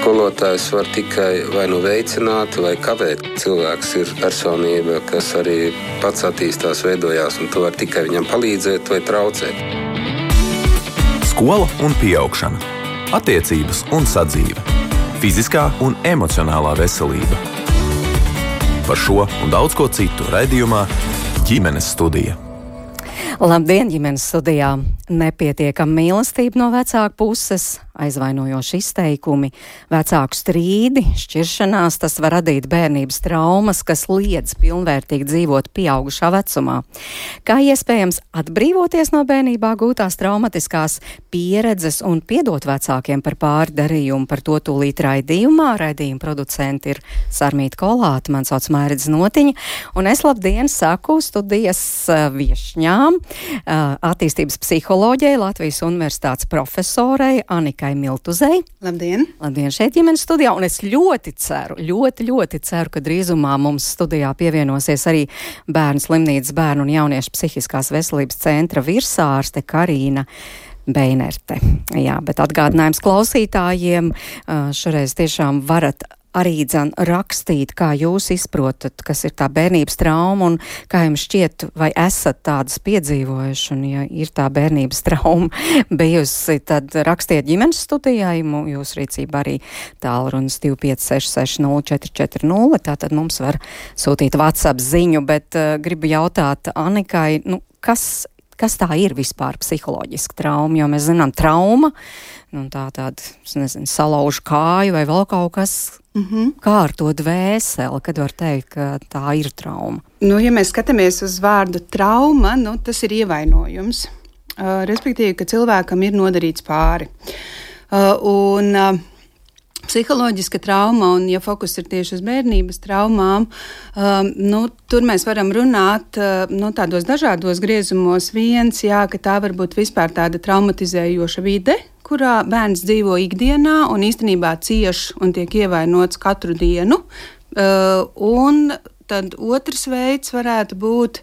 Skolotājs var tikai vai nu veicināt, vai kavēt. Cilvēks ir personība, kas arī pats attīstās, veidojās, un tu vari tikai viņam palīdzēt vai traucēt. Skola un pieaugšana, attiecības un sadzīve, fiziskā un emocionālā veselība. Par šo un daudz ko citu raidījumā Ģimenes studija. Labdien, ģimenes studijā! Nepietiekama mīlestība no vecāku puses, aizvainojoši izteikumi, vecāku strīdi, šķiršanās, tas var radīt bērnības traumas, kas liedz pilnvērtīgi dzīvot pieaugušā vecumā. Kā iespējams atbrīvoties no bērnībā gūtās traumatiskās pieredzes un piedot vecākiem par pārdarījumu, par to tūlīt raidījumā. Raidījuma producenti ir Sarmīta Kolāte, man sauc Mairidze Notiņa, un es labdien saku studijas viešņām, attīstības psiholoģijai, Latvijas Universitātes profesorei Anikai Miltuzei. Labdien! Labdien šeit ģimenes studijā, un es ļoti ceru, ka drīzumā mums studijā pievienosies arī Bērnu slimnīcas bērnu un jauniešu psihiskās veselības centra virsārste Karīna Beinerte. Jā, bet atgādinājums klausītājiem, šoreiz tiešām varat arī rakstīt, kā jūs izprotat, kas ir tā bērnības trauma un kā jums šķiet, vai esat tādas piedzīvojuši, un ja ir tā bērnības trauma bijusi, tad rakstiet ģimenes studijai, jūs rīcībā arī tālrunis 256604440, tātad mums var sūtīt WhatsApp ziņu, bet gribu jautāt Anikai, kas tā ir vispār psiholoģiska trauma, jo mēs zinām trauma, tāda, salaužu kāju vai vēl kaut kas. Kā ar to dvēseli, kad var teikt, ka tā ir trauma? Ja mēs skatāmies uz vārdu trauma, tas ir ievainojums. Respektīvi, ka cilvēkam ir nodarīts pāri. Psiholoģiska trauma, un ja fokus ir tieši uz bērnības traumām, tur mēs varam runāt tādos dažādos griezumos. Viens, ka tā var būt vispār tāda traumatizējoša vide, kurā bērns dzīvo ikdienā un īstenībā cieš un tiek ievainots katru dienu. Un tad otrs veids varētu būt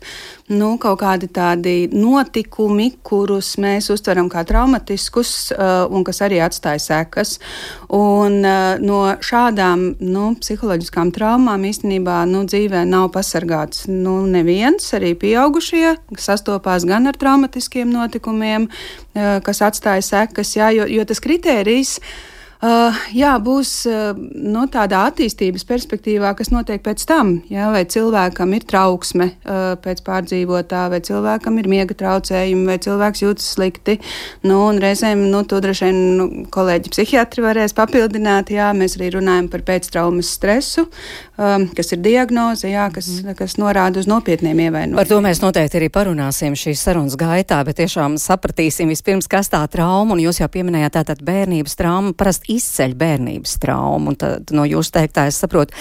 kaut kādi tādi notikumi, kurus mēs uztveram kā traumatiskus un kas arī atstāja sekas. Un no šādām psiholoģiskām traumām īstenībā dzīvē nav pasargāts neviens, arī pieaugušie, kas sastopās gan ar traumatiskiem notikumiem, kas atstāja sekas, jo tas kritērijs būs tādā attīstības perspektīvā, kas notiek pēc tam, vai cilvēkam ir trauksme pēc pārdzīvotā, vai cilvēkam ir miega traucējumi, vai cilvēks jūtas slikti, un reizēm, to droši vien kolēģi psihiatri varēs papildināt, mēs arī runājam par pēctraumas stresu, kas ir diagnoze, kas norāda uz nopietniem ievainojumiem. Par to mēs noteikti arī parunāsim šīs sarunas gaitā, bet tiešām sapratīsim vispirms, kas tā trauma, un jūs jau pieminējāt tātad bērnības trauma, parasti izceļ bērnības traumu, un tad no jūsu teiktā es saprotu,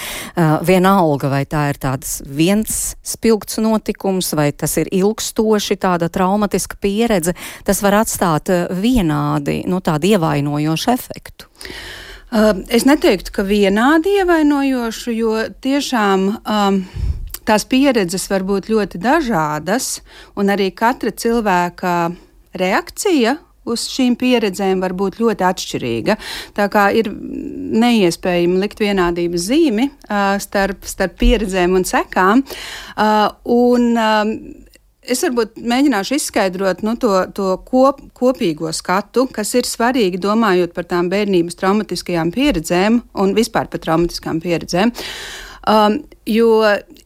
vienalga, vai tā ir tāds viens spilgts notikums, vai tas ir ilgstoši tāda traumatiska pieredze, tas var atstāt vienādi, tādu ievainojošu efektu. Es neteiktu, ka vienādi ievainojošu, jo tiešām tās pieredzes var būt ļoti dažādas, un arī katra cilvēka reakcija uz šīm pieredzēm var būt ļoti atšķirīga. Tā kā ir neiespējami likt vienādības zīmi starp pieredzēm un sekām. Es varbūt mēģināšu izskaidrot to kopīgo skatu, kas ir svarīgi domājot par tām bērnības traumatiskajām pieredzēm un vispār par traumatiskām pieredzēm. Jo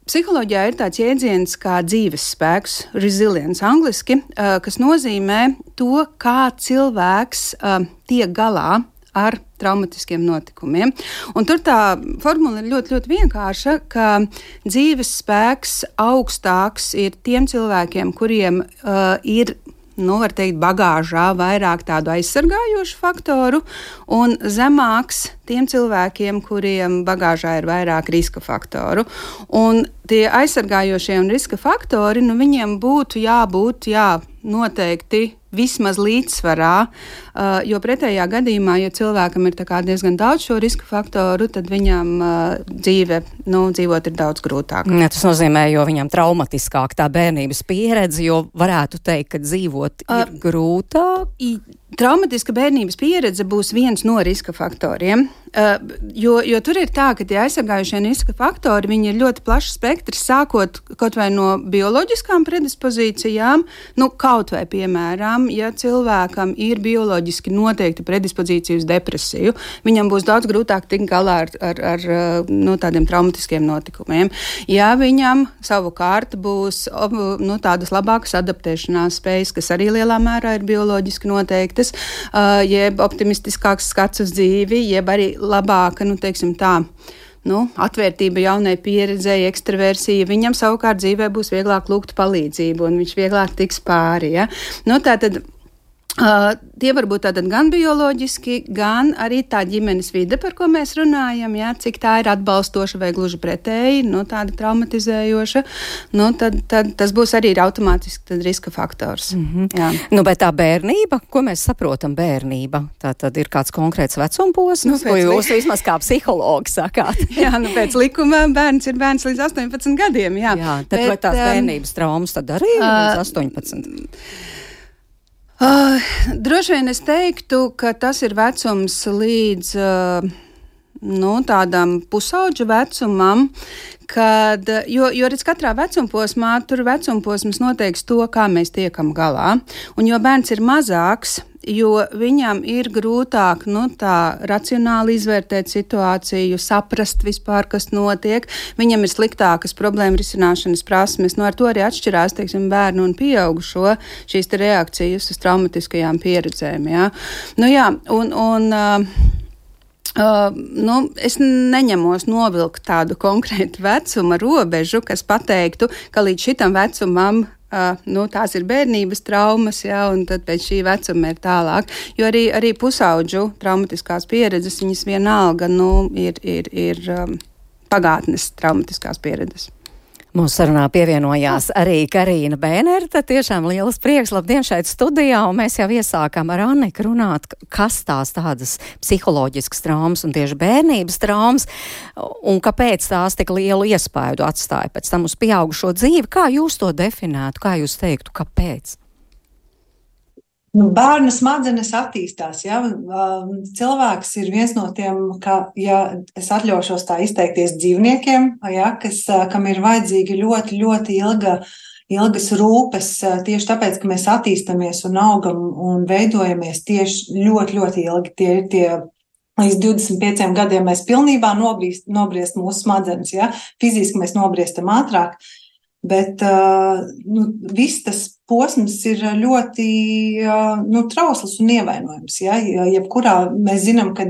psiholoģijā ir tāds jēdziens kā dzīves spēks, resilience angliski, kas nozīmē to, kā cilvēks tiek galā ar traumatiskiem notikumiem. Un tur tā formula ir ļoti, ļoti vienkārša, ka dzīves spēks augstāks ir tiem cilvēkiem, kuriem ir, var teikt, bagāžā vairāk tādu aizsargājošu faktoru, un zemāks tiem cilvēkiem, kuriem bagāžā ir vairāk riska faktoru. Un tie aizsargājošie un riska faktori, viņiem būtu jābūt, noteikti vismaz līdzsvarā, jo pretējā gadījumā, ja cilvēkam ir diezgan daudz šo riska faktoru, tad viņam dzīvot ir daudz grūtāk. Ja, tas nozīmē, jo viņam traumatiskāk tā bērnības pieredze, jo varētu teikt, ka dzīvot ir grūtāk? Traumatiska bērnības pieredze būs viens no riska faktoriem, jo tur ir tā, ka tie aizsargājušie riska faktori, viņi ir ļoti plašs spektrs, sākot kaut vai no bioloģiskām predispozīcijām, kaut vai, piemēram, ja cilvēkam ir bioloģiski noteikti predispozīcija uz depresiju, viņam būs daudz grūtāk tikt galā ar tādiem traumatiskiem notikumiem. Ja viņam savukārt būs tādas labākas adaptēšanās spējas, kas arī lielā mērā ir bioloģiski noteiktas, jeb optimistiskāks skats uz dzīvi, jeb arī labāka, atvērtība jaunai pieredzēji, ekstraversija, viņam savukārt dzīvē būs vieglāk lūgt palīdzību un viņš vieglāk tiks pāri. Ja? Tātad tie var būt tātad gan bioloģiski, gan arī tā ģimenes vide, par ko mēs runājam, ja? Cik tā ir atbalstoša vai gluži pretēji, tāda traumatizējoša, tad tas būs arī automātiski riska faktors. Jā. Bet tā bērnība, ko mēs saprotam bērnība, tā tad ir kāds konkrēts vecumposms, ko jūs vismaz kā psihologi sakāt? Jā, pēc likuma bērns ir bērns līdz 18 gadiem, jā. Jā, tad vai tās bērnības traumas tad arī līdz 18? Droši vien es teiktu, ka tas ir vecums līdz tādam pusauģu vecumam, jo redz katrā vecumposmā, tur vecumposms noteiks to, kā mēs tiekam galā. Un jo bērns ir mazāks, jo viņam ir grūtāk tā racionāli izvērtēt situāciju, saprast vispār, kas notiek. Viņam ir sliktākas problēma risināšanas prasmes. Ar to arī atšķirās, teiksim, bērnu un pieaugušo šīs reakcijas uz traumatiskajām pieredzēm. Ja? Es neņemos novilkt tādu konkrētu vecuma robežu, kas pateiktu, ka līdz šitam vecumam tās ir bērnības traumas, ja, un tad pēc šī vecuma ir tālāk. Jo arī pusauģu traumatiskās pieredzes, viņas vienalga ir pagātnes traumatiskās pieredzes. Mūsu sarunā pievienojās arī Karīna Bēnere, tad tiešām liels prieks, labdien šeit studijā, un mēs jau iesākām ar Anniku runāt, kas tādas psiholoģiskas traumas un tieši bērnības traumas, un kāpēc tās tik lielu iespaidu atstāja pēc tam uz pieaugušo dzīvi. Kā jūs to definētu, kā jūs teiktu, kāpēc? Bērna smadzenes attīstās, ja? Cilvēks ir viens no tiem, ja es atļaušos tā izteikties dzīvniekiem, ja? Kam ir vajadzīga ļoti, ļoti ilgas rūpes, tieši tāpēc, ka mēs attīstamies un augam un veidojamies tieši ļoti, ļoti ilgi. Tie līdz 25 gadiem mēs pilnībā nobriest mūsu smadzenes, ja? Fiziski mēs nobriestam ātrāk, bet viss tas posms ir ļoti trausls un ievainojams. Ja? Jebkurā mēs zinām, ka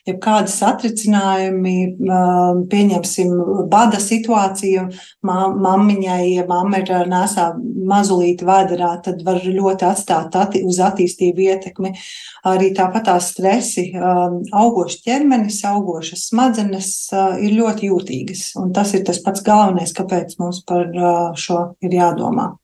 jebkādi satricinājumi, pieņemsim bada situāciju, mammiņai, ja mamma ir nesā mazulīti vēderā, tad var ļoti atstāt uz attīstību ietekmi. Arī tāpat tās stresi, augošs ķermenis, augošas smadzenes ir ļoti jūtīgas. Un tas ir tas pats galvenais, kāpēc mums par šo ir jādomā.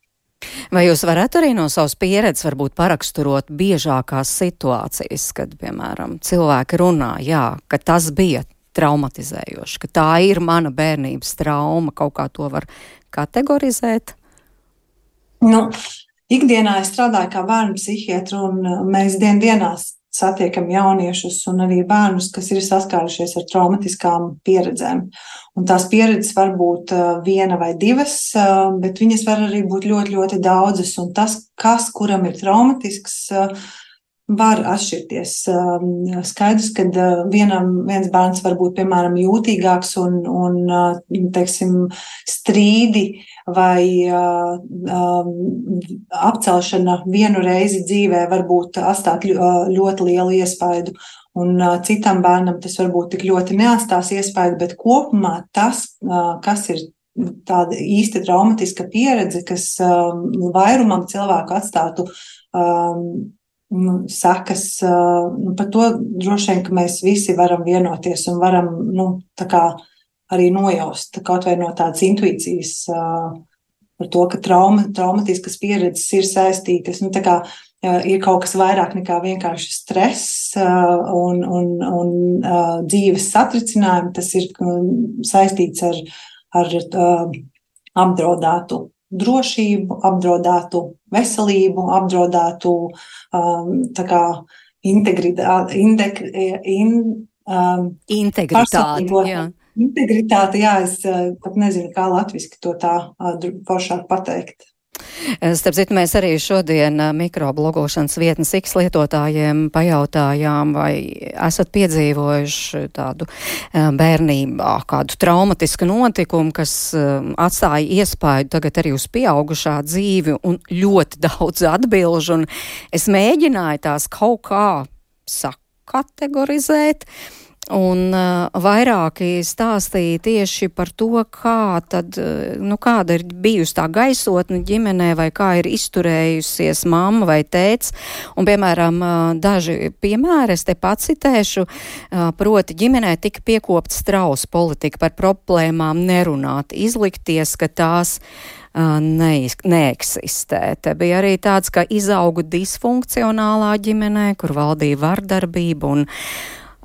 Vai jūs varētu arī no savas pieredzes varbūt paraksturot biežākās situācijas, kad, piemēram, cilvēki runā, ka tas bija traumatizējoši, ka tā ir mana bērnības trauma, kaut kā to var kategorizēt? Ikdienā es strādāju kā bērnu psihiatru, un mēs dienās satiekam jauniešus un arī bērnus, kas ir saskārušies ar traumatiskām pieredzēm. Un tās pieredzes var būt viena vai divas, bet viņas var arī būt ļoti, ļoti daudzas. Un tas, kuram ir traumatisks, var atšķirties. Skaidrs, ka viens bērns var būt, piemēram, jūtīgāks un teiksim, strīdi vai apcelšana vienu reizi dzīvē varbūt atstāt ļoti lielu iespaidu. Un citam bērnam tas varbūt tik ļoti neatstās iespaidu, bet kopumā tas, kas ir tāda īsti traumatiska pieredze, kas vairumam cilvēku atstātu sekas, par to droši vien, ka mēs visi varam vienoties un varam arī nojaust kaut vai no tādas intuīcijas par to, ka traumatiskas pieredzes ir saistītas. Ir kaut kas vairāk nekā vienkārši stress un dzīves satricinājumi. Tas ir saistīts ar apdraudētu drošību, apdraudētu veselību, apdraudētu integritāti. Integritāte, jā, es pat nezinu, kā latviski to tā foršāk pateikt. Starp citu, mēs arī šodien mikroblogošanas vietnes X lietotājiem pajautājām, vai esat piedzīvojuši tādu bērnībā kādu traumatisku notikumu, kas atstāja iespaidu tagad arī uz pieaugušā dzīvi, un ļoti daudz atbilžu, un es mēģināju tās kaut kā sakategorizēt. Un vairāki stāstīja tieši par to, kāda ir bijusi tā gaisotne ģimenē, vai kā ir izturējusies mamma vai tēts. Un, piemēram, daži piemēri es te pacitēšu, proti ģimenē tika piekopta strausa politika par problēmām nerunāt, izlikties, ka tās neeksistē. Te bija arī tāds, ka izaugu disfunkcionālā ģimenē, kur valdīja vardarbība un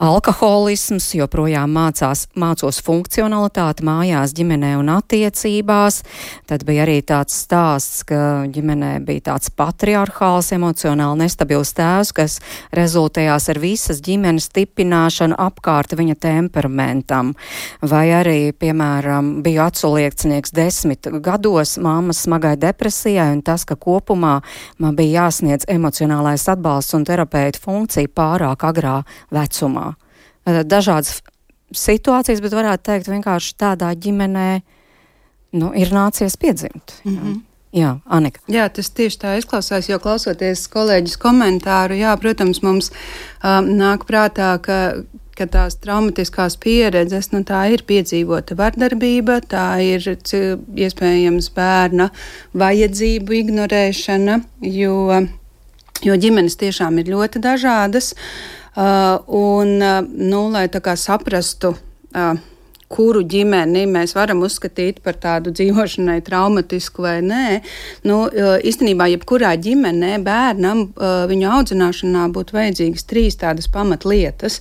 alkoholisms, joprojām mācos funkcionalitāti mājās, ģimenē un attiecībās. Tad bija arī tāds stāsts, ka ģimenē bija tāds patriarchāls, emocionāli nestabils tēvs, kas rezultējās ar visas ģimenes stipināšanu apkārt viņa temperamentam. Vai arī, piemēram, biju aculiekcinieks 10 gados, mammas smagai depresijai, un tas, ka kopumā man bija jāsniedz emocionālais atbalsts un terapeita funkcija pārāk agrā vecumā. Dažādas situācijas, bet varētu teikt vienkārši tādā ģimenē, ir nācies piedzimt. Mm-hmm. Jā, Anika. Jā, tas tieši tā izklausās, jo klausoties kolēģis komentāru, jā, protams, mums nāk prātā, ka tās traumatiskās pieredzes, tā ir piedzīvota vardarbība, tā ir iespējams bērna vajadzību ignorēšana, jo ģimenes tiešām ir ļoti dažādas. Lai tā kā saprastu, kuru ģimeni mēs varam uzskatīt par tādu dzīvošanai traumatisku vai nē, īstenībā jebkurā ģimenē bērnam viņu audzināšanā būtu vajadzīgas 3 tādas pamatlietas.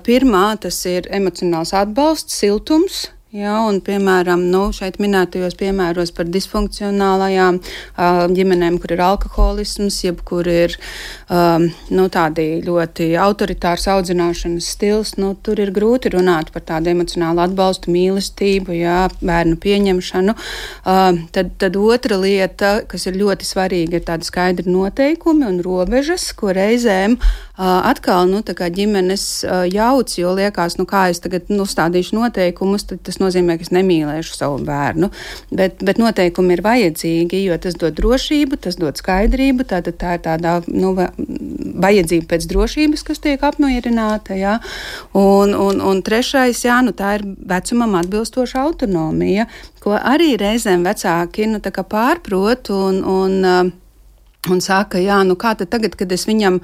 Pirmā, tas ir emocionāls atbalsts, siltums. Jā, un, piemēram, šeit minētajos piemēros par disfunkcionālajām ģimenēm, kur ir alkoholisms, jeb kur ir tādi ļoti autoritārs audzināšanas stils, tur ir grūti runāt par tādu emocionālu atbalstu, mīlestību, jā, bērnu pieņemšanu. Tad otra lieta, kas ir ļoti svarīga, ir tādi skaidri noteikumi un robežas, ko reizēm atkal, tā kā ģimenes jauc, jo liekas, kā es tagad stādīšu noteikumus, tad tas nozīmē, ka es nemīlēšu savu bērnu, bet noteikumi ir vajadzīgi, jo tas dod drošību, tas dod skaidrību, tātad tā ir tādā, vajadzība pēc drošības, kas tiek apmierināta, jā, un trešais, jā, tā ir vecumam atbilstoša autonomija, ko arī reizēm vecāki, tā kā pārprot un saka, jā, kā tad tagad, kad es viņam,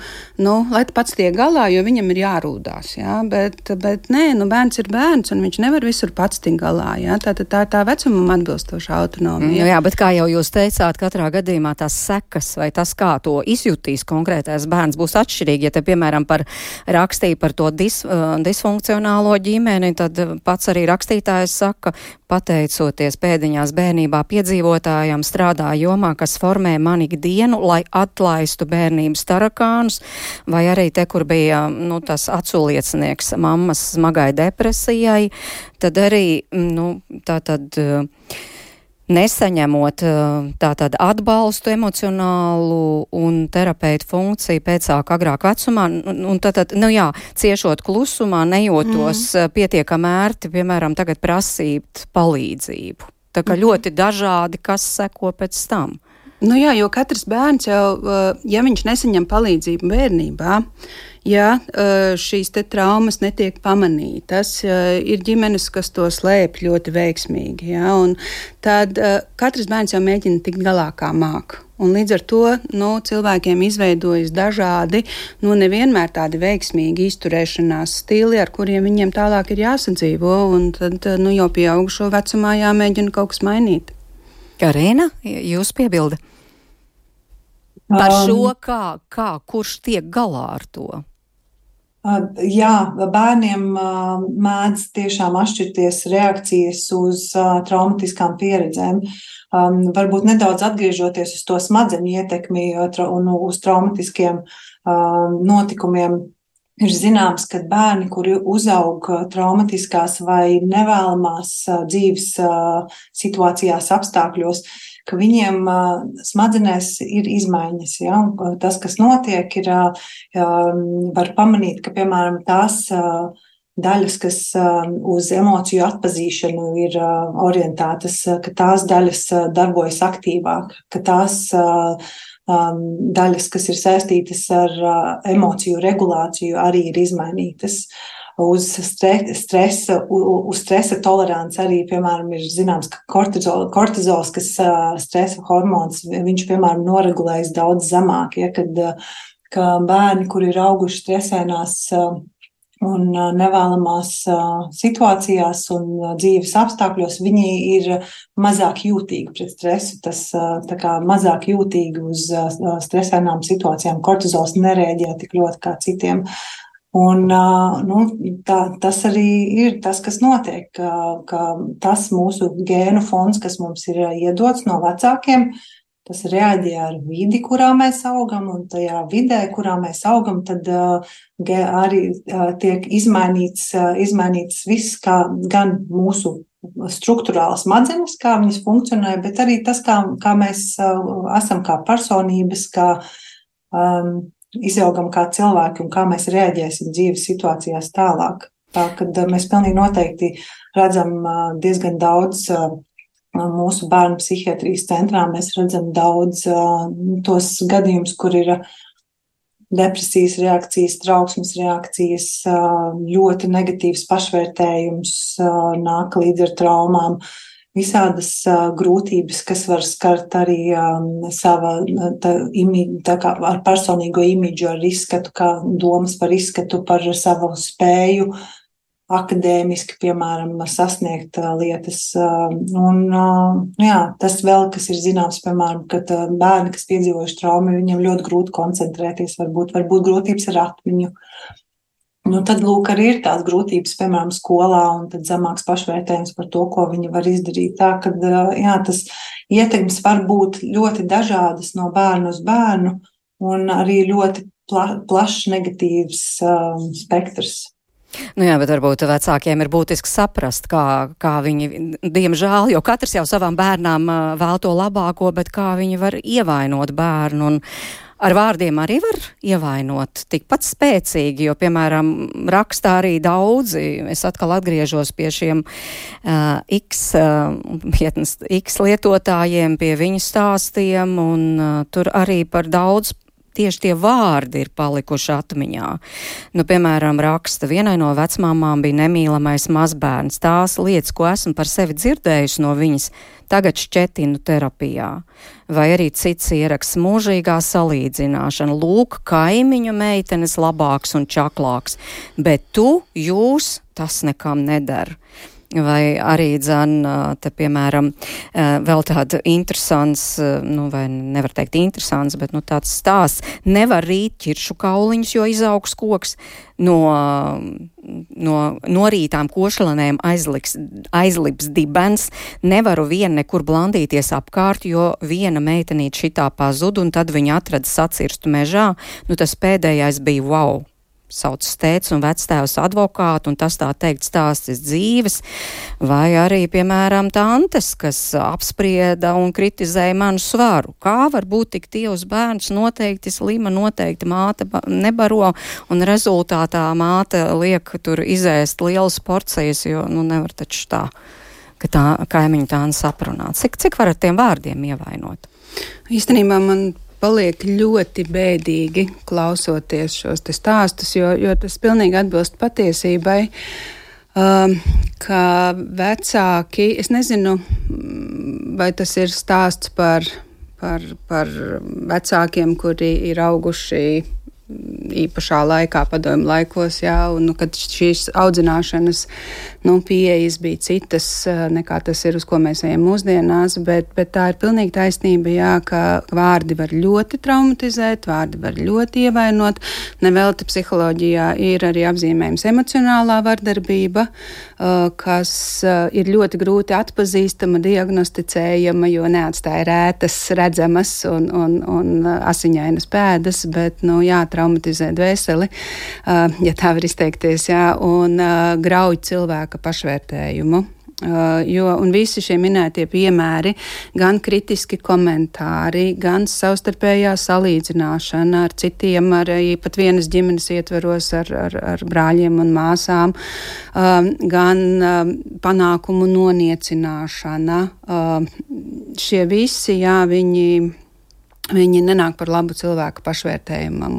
lai pats tiek galā, jo viņam ir jārūdās, jā, bet nē, bērns ir bērns, un viņš nevar visur pats tikt galā, jā, tā ir tā vecumam atbilstoša autonomija. Jā, bet kā jau jūs teicāt, katrā gadījumā tās sekas vai tas, kā to izjutīs konkrētais bērns, būs atšķirīgi. Ja te, piemēram, rakstīja par to disfunkcionālo ģimeni, tad pats arī rakstītājs saka, pateicoties pēdiņās bērnībā piedzīvotājām, strādā jomā, kas formē man ikdienu, lai atlaistu bērnības tarakānus, vai arī te, kur bija tas aculiecinieks mammas smagai depresijai, tad arī nesaņemot tātad atbalstu emocionālu un terapeitu funkciju pēcāk agrāk vecumā, un tad, ciešot klusumā, nejūtos pietiekami ērti, piemēram, tagad prasīt palīdzību. Tā kā ļoti dažādi, kas seko pēc tam. Jā, jo katrs bērns jau, ja viņš nesaņem palīdzību bērnībā, ja šīs te traumas netiek pamanītas, ir ģimenes, kas to slēp ļoti veiksmīgi, ja, un tad katrs bērns jau mēģina tikt galā kā māk. Un līdz ar to cilvēkiem izveidojas dažādi, nevienmēr tādi veiksmīgi izturēšanās stili, ar kuriem viņiem tālāk ir jāsadzīvo, un tad jau pieaugušo vecumā jāmēģina kaut kas mainīt. Karina, jūs piebilda par šo, kurš tiek galā ar to? Jā, bērniem mēdz tiešām atšķirties reakcijas uz traumatiskām pieredzēm. Varbūt nedaudz atgriežoties uz to smadzeņu ietekmi un uz traumatiskiem notikumiem. Ir zināms, ka bērni, kuri uzaug traumatiskās vai nevēlamās dzīves situācijās, apstākļos, ka viņiem smadzenēs ir izmaiņas. Ja? Tas, kas notiek, var pamanīt, ka, piemēram, tās daļas, kas uz emociju atpazīšanu ir orientētas, ka tās daļas darbojas aktīvāk, ka tās daļas, kas ir saistītas ar emociju regulāciju, arī ir izmainītas. Uz stresa tolerants arī, piemēram, ir zināms, ka kortizols, kas stresa hormons, viņš, piemēram, noregulējas daudz zemāk, ja, ka bērni, kuri ir auguši stresēnās un nevēlamās situācijās un dzīves apstākļos, viņi ir mazāk jūtīgi pret stresu, tas tā kā mazāk jūtīgi uz stresēnām situācijām. Kortizols nereaģē tik ļoti kā citiem. Un tas arī ir tas, kas notiek, ka tas mūsu gēnu fonds, kas mums ir iedots no vecākiem, tas reaģē ar vidi, kurā mēs augam, un tajā vidē, kurā mēs augam, tad arī tiek izmainīts viss, gan mūsu struktūrālas smadzenes, kā viņas funkcionē, bet arī tas, kā mēs esam kā personības, kā izaugam kā cilvēki un kā mēs reaģēsim dzīves situācijās tālāk. Tā, kad mēs pilnīgi noteikti redzam diezgan daudz mūsu bērnu psihiatrijas centrā, mēs redzam daudz tos gadījumus, kur ir depresijas reakcijas, trauksmes reakcijas, ļoti negatīvs pašvērtējums nāk līdz ar traumām. Visādas grūtības, kas var skart arī ar personīgo imidžu, ar izskatu, kā domas par izskatu, par savu spēju akadēmiski, piemēram, sasniegt lietas. Tas vēl, kas ir zināms, piemēram, kad bērni, kas piedzīvojuši traumu, viņiem ļoti grūti koncentrēties, varbūt grūtības ar atmiņu. Tad, lūk, arī ir tās grūtības, piemēram, skolā, un tad zemāks pašvērtējums par to, ko viņi var izdarīt. Tā, kad, tas ietekmes var būt ļoti dažādas no bērnu uz bērnu, un arī ļoti plašs negatīvs spektrs. Jā, bet varbūt vecākiem ir būtiski saprast, kā viņi, diemžēl, jo katrs jau savām bērnām vēl to labāko, bet kā viņi var ievainot bērnu, un ar vārdiem arī var ievainot tikpat spēcīgi, jo, piemēram, rakstā arī daudzi, es atkal atgriežos pie šiem X lietotājiem, pie viņu stāstiem, un tur arī par daudz tieši tie vārdi ir palikuši atmiņā. Piemēram, raksta, vienai no vecmāmām bija nemīlamais mazbērns. Tās lietas, ko esmu par sevi dzirdējusi no viņas, tagad šķetinu terapijā. Vai arī cits ieraksts, mūžīgā salīdzināšana. Lūk, kaimiņu meitenes labāks un čaklāks, bet jūs tas nekam nedara. Vai arī, te, piemēram, vēl tāda interesants, vai nevar teikt interesants, bet tāds stāsts, nevar rīt ķiršu kauliņus, jo izaugs koks, no norītām košlanēm aizlips dibens, nevaru nekur blandīties apkārt, jo viena meitenīte šitā pazud, un tad viņa atrada sacirstu mežā, tas pēdējais bija wow. Sauc tēvs un vectēvs advokātu, un tas tā teikt stāstis dzīves, vai arī, piemēram, tantes, kas apsprieda un kritizēja manu svaru. Kā var būt tik tievs bērns, noteikti slima, noteikti māte nebaro, un rezultātā māte liek tur izēst lielas porcijas, jo, nevar taču tā, ka tā kaimiņu tā saprunāt. Cik var ar tiem vārdiem ievainot? Īstenībā man paliek ļoti bēdīgi klausoties šos te stāstus, jo tas pilnīgi atbilst patiesībai, ka vecāki, es nezinu, vai tas ir stāsts par vecākiem, kuri ir auguši īpašā laikā, padomju laikos, un kad šīs audzināšanas pieejas bija citas, nekā tas ir, uz ko mēs ejam mūsdienās, bet tā ir pilnīgi taisnība, jā, ka vārdi var ļoti traumatizēt, vārdi var ļoti ievainot. Nevelti psiholoģijā ir arī apzīmējums emocionālā vardarbība, kas ir ļoti grūti atpazīstama, diagnosticējama, jo neatstāja rētas, redzamas un asiņainas pēdas, bet, traumatizē dvēseli, ja tā var izteikties, jā, un grauj cilvēka pašvērtējumu. Un visi šie minētie piemēri, gan kritiski komentāri, gan savstarpējā salīdzināšana ar citiem, arī pat vienas ģimenes ietveros ar brāļiem un māsām, gan panākumu noniecināšana. Šie visi, jā, viņi nenāk par labu cilvēku pašvērtējumam,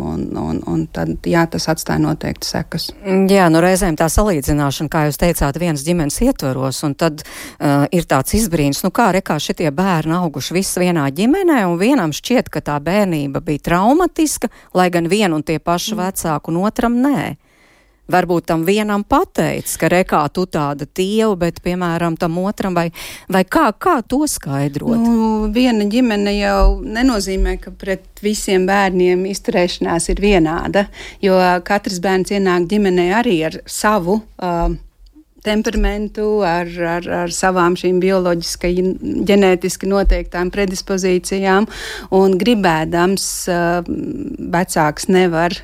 un tad, jā, tas atstāja noteikti sekas. Jā, reizēm tā salīdzināšana, kā jūs teicāt, vienas ģimenes ietvaros, un tad ir tāds izbrīns, kā šitie bērni auguši visi vienā ģimenē, un vienam šķiet, ka tā bērnība bija traumatiska, lai gan vienu un tie paši vecāku, un otram nē. Varbūt tam vienam pateic, ka rekā tu tāda tieva, bet, piemēram, tam otram, vai kā to skaidrot? Viena ģimene jau nenozīmē, ka pret visiem bērniem izturēšanās ir vienāda, jo katrs bērns ienāk ģimenē arī ar savu temperamentu, ar savām šīm bioloģiski, ģenētiski noteiktām predispozīcijām, un gribēdams vecāks nevar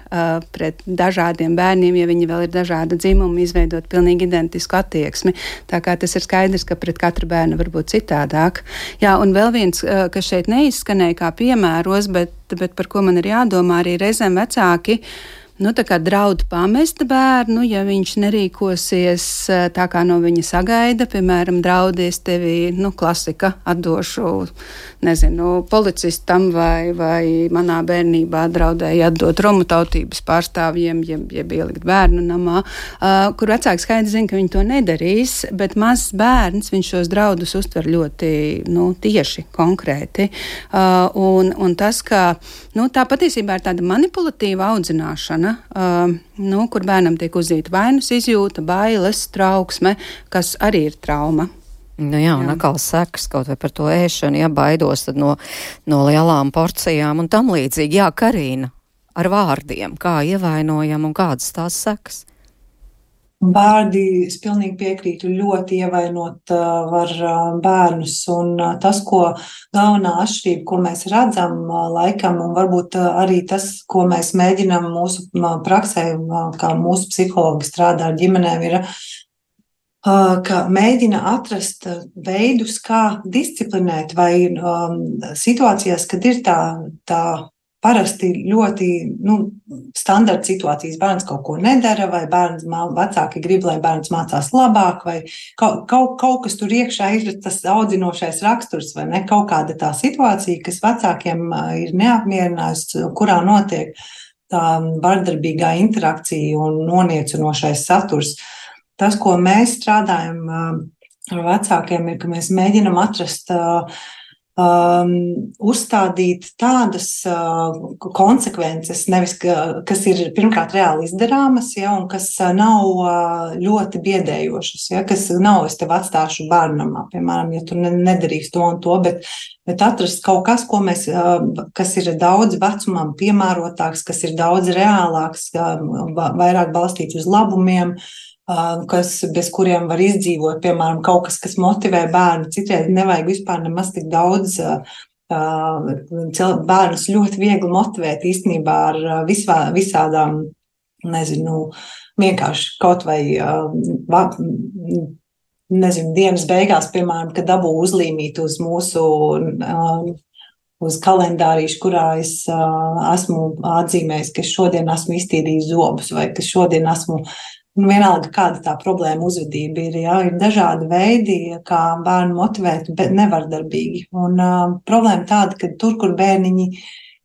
pret dažādiem bērniem, ja viņi vēl ir dažāda dzimuma, izveidot pilnīgi identisku attieksmi. Tā kā tas ir skaidrs, ka pret katru bērnu var būt citādāk. Jā, un vēl viens, kas šeit neizskanēja kā piemēros, bet par ko man ir jādomā, arī reizēm vecāki tā kā draud pamest bērnu, ja viņš nerīkosies tā, kā no viņa sagaida, piemēram, draudies tevi, klasika, atdošu, policistam vai manā bērnībā draudēja atdot romu tautības pārstāvjiem, jeb ielikt bērnu namā, kur vecāki skaidri zina, ka viņi to nedarīs, bet mazs bērns, viņš šos draudus uztver ļoti, tieši, konkrēti, un tas, ka, tā patiesībā ir tāda manipulatīva audzināšana, kur bērnam tiek uzzīta vainas izjūta, bailes, trauksme, kas arī ir trauma. Jā, un atkal sekas kaut vai par to ēšanu, ja baidos tad no lielām porcijām un tam līdzīgi. Jā, Karīna, ar vārdiem, kā ievainojam un kādas tās sekas? Vārdi, es pilnīgi piekrītu, ļoti ievainot var bērnus, un tas, ko galvenā atšķirība, ko mēs redzam laikam, un varbūt arī tas, ko mēs mēģinām mūsu praksē, kā mūsu psihologi strādā ar ģimenēm, ir, ka mēģina atrast veidus, kā disciplinēt vai situācijās, kad ir tā parasti ļoti standarta situācijas. Bērns kaut ko nedara, vai vecāki grib, lai bērns mācās labāk, vai kaut kas tur iekšā ir tas audzinošais raksturs, vai ne? Kaut kāda tā situācija, kas vecākiem ir neapmierinājusi, kurā notiek tā vardarbīgā interakcija un noniecinošais saturs. Tas, ko mēs strādājam ar vecākiem, ir, ka mēs mēģinam atrast uzstādīt tādas konsekvences, nevis, kas ir pirmkārt reāli izdarāmas, ja, un kas nav ļoti biedējošas, ja, kas nav, es tev atstāšu bērnamā, piemēram, ja tu nedarīsi to un to, bet atrast kaut kas, kas ir daudz vecumam piemērotāks, kas ir daudz reālāks, vairāk balstīts uz labumiem, bez kuriem var izdzīvot, piemēram, kaut kas motivē bērnu. Citreiz nevajag vispār nemaz tik daudz. Bērnus ļoti viegli motivēt īstenībā ar visādām, vienkārši kaut vai, dienas beigās, piemēram, kad dabū uzlīmīt uz mūsu uz kalendārīšu, kurā es esmu atzīmējis, ka šodien esmu iztīrījis zobus vai ka šodien esmu vienalga, kāda tā problēma uzvedība ir. Jā, ir dažādi veidi, kā bērnu motivēt, bet nevardarbīgi. Un problēma tāda, ka tur, kur bērniņi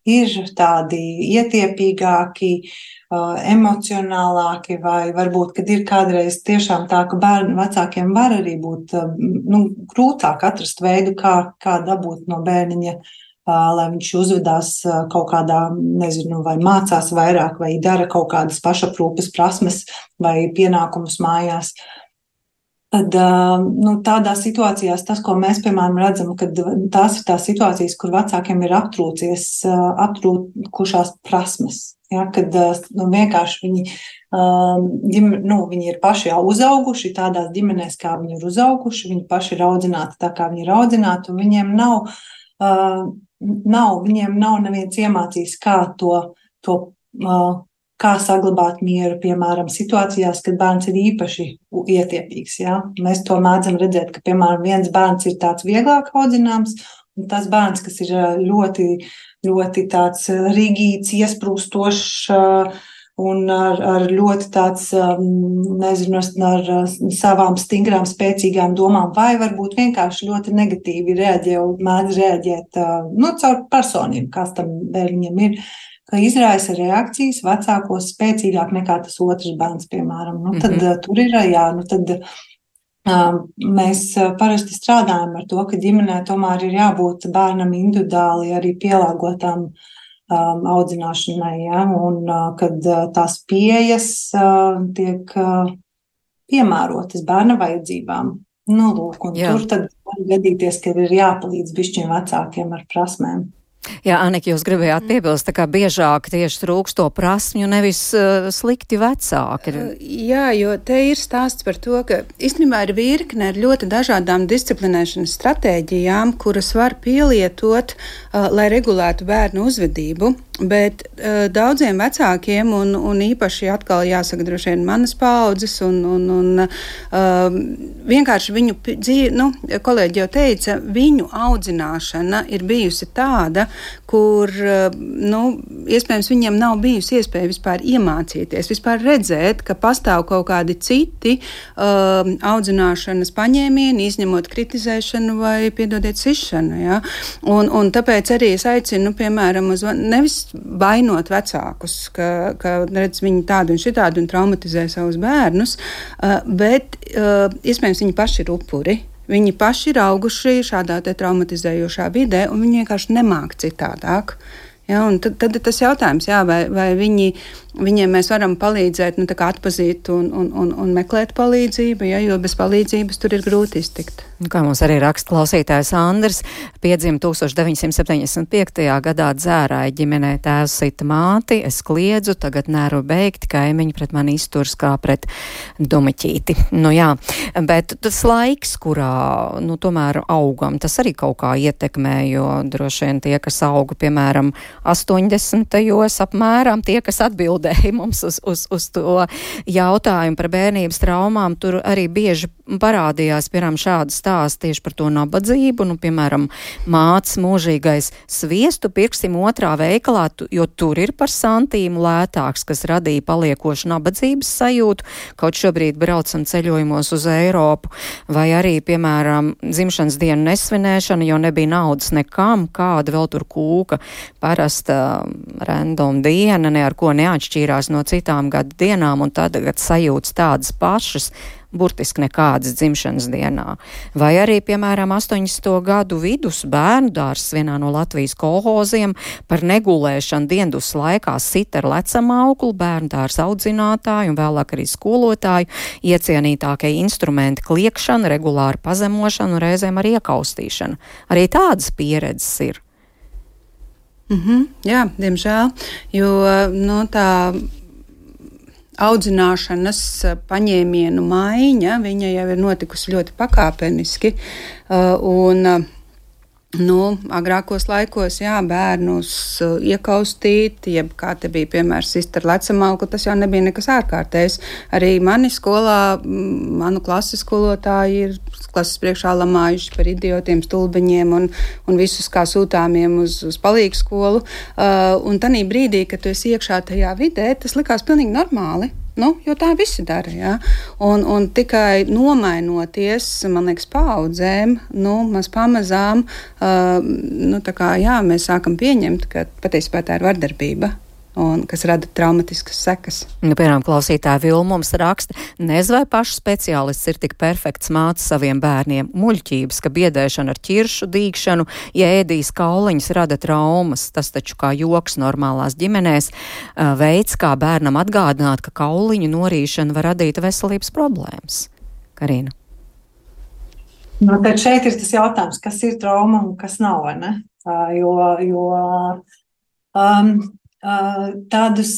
ir tādi ietiepīgāki, emocionālāki, vai varbūt, kad ir kādreiz tiešām tā, ka vecākiem var arī būt grūtāk atrast veidu, kā dabūt no bērniņa, lai viņš uzvedās kaut kādā, vai mācās vairāk, vai dara kaut kādas pašaprūpes prasmes vai pienākumus mājās. Tad tādās situācijās tas, ko mēs, piemēram, redzam, kad tās ir tās situācijas, kur vecākiem ir aptrūkušās prasmes. Ja, kad vienkārši viņi ir paši jau uzauguši tādās ģimenēs, kā viņi ir uzauguši, viņi paši ir audzināti tā, kā viņi ir audzināti, un viņiem nav neviens iemācījis, kā saglabāt mieru, piemēram, situācijās, kad bērns ir īpaši ietiepīgs. Ja? Mēs to mēdzam redzēt, ka, piemēram, viens bērns ir tāds vieglāk audzināms, un tas bērns, kas ir ļoti, ļoti tāds rigīds, iesprūstošs un ar ļoti tāds, ar savām stingrām, spēcīgām domām, vai varbūt vienkārši ļoti negatīvi reaģē un mēdz reaģēt caur personību, kas tam viņam ir, ka izraisa reakcijas vecākos spēcīgāk nekā tas otrs bērns, piemēram. Tad tur ir, mēs parasti strādājam ar to, ka ģimenē tomēr ir jābūt bērnam individuāli arī pielāgotām audzināšanai, ja, un kad tās pieejas tiek piemērotas bērna vajadzībām. Lūk, un tur tad var gadīties, ka ir jāpalīdz bišķiem vecākiem ar prasmēm. Jā, Anika, jūs gribējāt piebilst, tā kā biežāk tieši trūkst to prasmju, nevis slikti vecāki. Jā, jo te ir stāsts par to, ka īstenībā ir virkne ar ļoti dažādām disciplinēšanas stratēģijām, kuras var pielietot, lai regulētu bērnu uzvedību. Bet daudziem vecākiem, un īpaši atkal jāsaka droši vien manas paaudzes, un vienkārši viņu dzīve, kolēģi jau teica, viņu audzināšana ir bijusi tāda, kur, iespējams, viņiem nav bijusi iespēja vispār iemācīties, vispār redzēt, ka pastāv kaut kādi citi audzināšanas paņēmieni, izņemot kritizēšanu vai, piedodiet, sišanu. Ja? Un tāpēc arī es aicinu, piemēram, nevis vainot vecākus, ka redz viņi tādu un šitādu un traumatizē savus bērnus, bet iespējams viņi paši ir upuri. Viņi paši ir auguši šādā te traumatizējošā vidē, un viņi vienkārši nemāk citādāk. Ja, un tad tas jautājums, vai viņiem mēs varam palīdzēt, tā kā atpazīt un meklēt palīdzību, ja, jo bez palīdzības tur ir grūti iztikt. Kā mums arī raksta klausītājs Andrs, piedzima 1975. gadā Dzērāja ģimenē, tēvs sita māti, es kliedzu, tagad nevaru beigt, kaimiņi pret mani izturs kā pret dumiķīti. Jā, bet tas laiks, kurā, tomēr augam, tas arī kaut kā ietekmē, jo droši vien tie, kas auga, piemēram, 80. apmēram, tie, kas atbildēja mums uz to jautājumu par bērnības traumām, tur arī bieži parādījās, piemēram, šādi stāsti tieši par to nabadzību, piemēram, mātes mūžīgais sviestu pirksim otrā veikalā, jo tur ir par santīmu lētāks, kas radīja paliekošu nabadzības sajūtu, kaut šobrīd braucam ceļojumos uz Eiropu, vai arī, piemēram, dzimšanas dienu nesvinēšana, jo nebija naudas nekam, kāda vēl tur kūka, parasta random diena, ne ar ko neatšķīrās no citām gada dienām, un tagad sajūtas tādas pašas, burtiski nekādas dzimšanas dienā. Vai arī, piemēram, 80. gadu vidus bērnu dārzs vienā no Latvijas kolhoziem par negulēšanu diendus laikā sita ar lecam auklu, bērnu dārza audzinātāju un vēlāk arī skolotāju, iecienītākie instrumenti kliekšana, regulāra pazemošana un reizēm arī iekaustīšana. Arī tādas pieredzes ir. Jā, diemžēl, jo tā audzināšanas paņēmienu maiņa, viņa jau ir notikusi ļoti pakāpeniski, un agrākos laikos, bērnus iekaustīt, jeb kā te bija piemērs sist ar lecamauku, tas jau nebija nekas ārkārtējs. Arī mani skolā, manu klases skolotāji ir klases priekšā lamājuši par idiotiem, stulbeņiem un visus kā sūtāmiem uz palīgu skolu. Un tanī brīdī, kad tu esi iekšā tajā vidē, tas likās pilnīgi normāli. Jo tā visi dara, jā. Un tikai nomainoties, man liekas, paaudzēm, mēs pamazām, mēs sākam pieņemt, ka patiesībā tā ir vardarbība. Un kas rada traumatiskas sekas. Piemēram, klausītāja Vilma mums raksta, nezinu, vai pašs speciālists ir tik perfekts mācis saviem bērniem. Muļķības, ka biedēšana ar ķiršu, dīkšanu, ja ēdīs kauliņas rada traumas. Tas taču kā joks normālās ģimenēs veids, kā bērnam atgādināt, ka kauliņu norīšana var radīt veselības problēmas. Karina. Nu, tad šeit ir tas jautājums, kas ir trauma un kas nav, vai ne? Tādus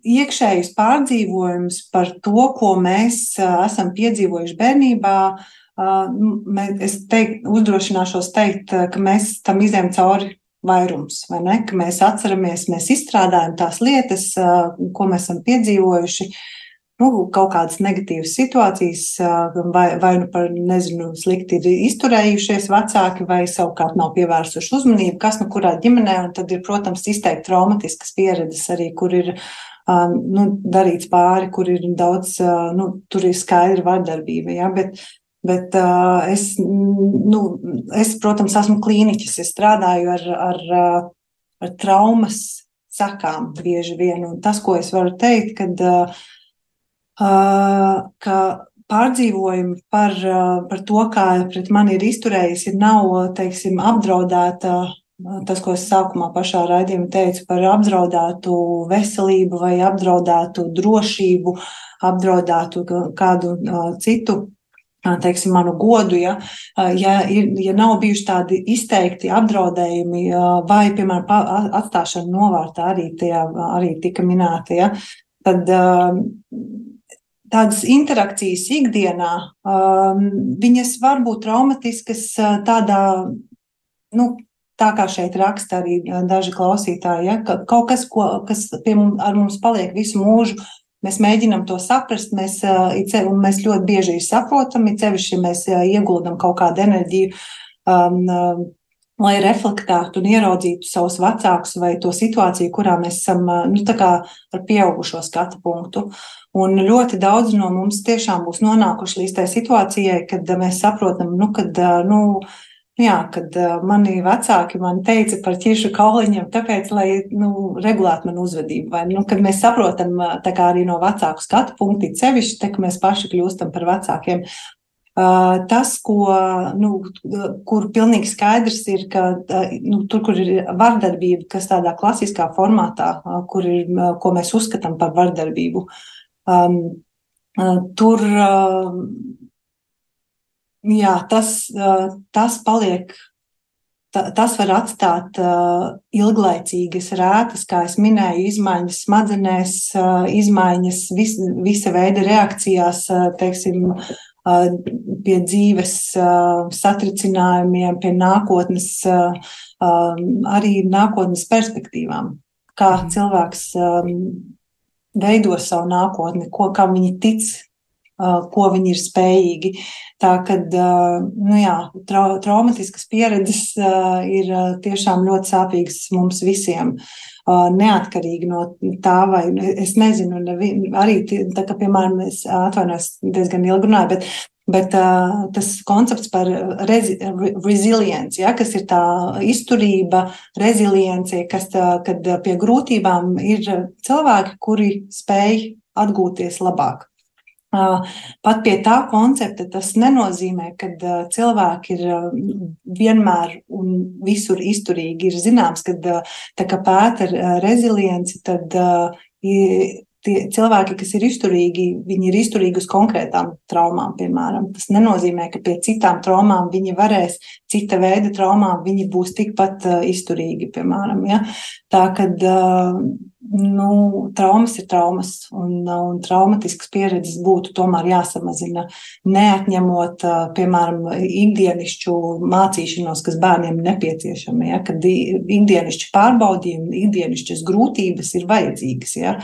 iekšējus pārdzīvojumus par to, ko mēs esam piedzīvojuši bērnībā, es uzdrošināšos teikt, ka mēs tam izējam cauri vairums, vai ne? Ka mēs atceramies, mēs izstrādājam tās lietas, ko mēs esam piedzīvojuši, kaut kādas negatīvas situācijas, vai nu par, slikti ir izturējušies vecāki, vai savukārt nav pievērsuši uzmanību, kas kurā ģimenē, un tad ir, protams, izteikti traumatiskas pieredzes arī, kur ir darīts pāri, kur ir daudz, tur ir skaidra vardarbība, ja, bet es, protams, esmu klīniķis, es strādāju ar traumas sakām bieži vien, un tas, ko es varu teikt, ka pārdzīvojumi par to, kā pret mani ir izturējis, nav, teiksim, apdraudēta, tas, ko es sākumā pašā raidījumā teicu, par apdraudētu veselību vai apdraudētu drošību, apdraudētu kādu citu, teiksim, manu godu, ja nav bijuši tādi izteikti apdraudējumi vai, piemēram, atstāšana novārtā arī tika minēta, ja, tad tādas interakcijas ikdienā, viņas var būt traumatiskas tādā, tā kā šeit raksta arī daži klausītāji, ja, ka kaut kas, kas ar mums paliek visu mūžu, mēs mēģinam to saprast, mēs ļoti bieži saprotam, sevišķi mēs ieguldam kaut kādu enerģiju, lai reflektētu un ieraudzītu savus vecākus vai to situāciju, kurā mēs esam tā kā ar pieaugušo skatu punktu. Un ļoti daudz no mums tiešām būs nonākuši līdz tai situācijai, kad mēs saprotam, kad mani vecāki man teica par ķiršu kauliņiem, tāpēc, lai regulētu manu uzvedību. Vai, kad mēs saprotam tā kā arī no vecāku skatu punkti sevišķi, tā, ka mēs paši kļūstam par vecākiem. Tas, kur pilnīgi skaidrs ir, ka tur, kur ir vardarbība, kas tādā klasiskā formātā, ko mēs uzskatām par vardarbību, tur, tas paliek, tas var atstāt ilglaicīgas rētas, kā es minēju, izmaiņas smadzenēs, izmaiņas visa veida reakcijās, teiksim, pie dzīves satricinājumiem, pie nākotnes, arī nākotnes perspektīvām. Kā cilvēks veido savu nākotni, kā viņi tic, ko viņi ir spējīgi. Tā, kad traumatiskas pieredzes ir tiešām ļoti sāpīgas mums visiem. Neatkarīgi no tā, vai es nezinu, arī tā, ka, piemēram, es atvainojos diezgan ilgi runāju, bet tas koncepts par resilience, ja, kas ir tā izturība, rezilience, kad pie grūtībām ir cilvēki, kuri spēj atgūties labāk. Pat pie tā koncepta tas nenozīmē, ka cilvēki ir vienmēr un visur izturīgi. Ir zināms, ka tā kā pēta rezilienci, tad tie cilvēki, kas ir izturīgi, viņi ir izturīgi uz konkrētām traumām, piemēram. Tas nenozīmē, ka pie citām traumām viņi varēs, cita veida traumām viņi būs tikpat izturīgi, piemēram. Ja? Tā, kad traumas ir traumas, un traumatiskas pieredzes būtu tomēr jāsamazina, neatņemot, piemēram, ikdienišķu mācīšanos, kas bērniem nepieciešama, ja? Kad ikdienišķi pārbaudījumi, ikdienišķas grūtības ir vajadzīgas, ja?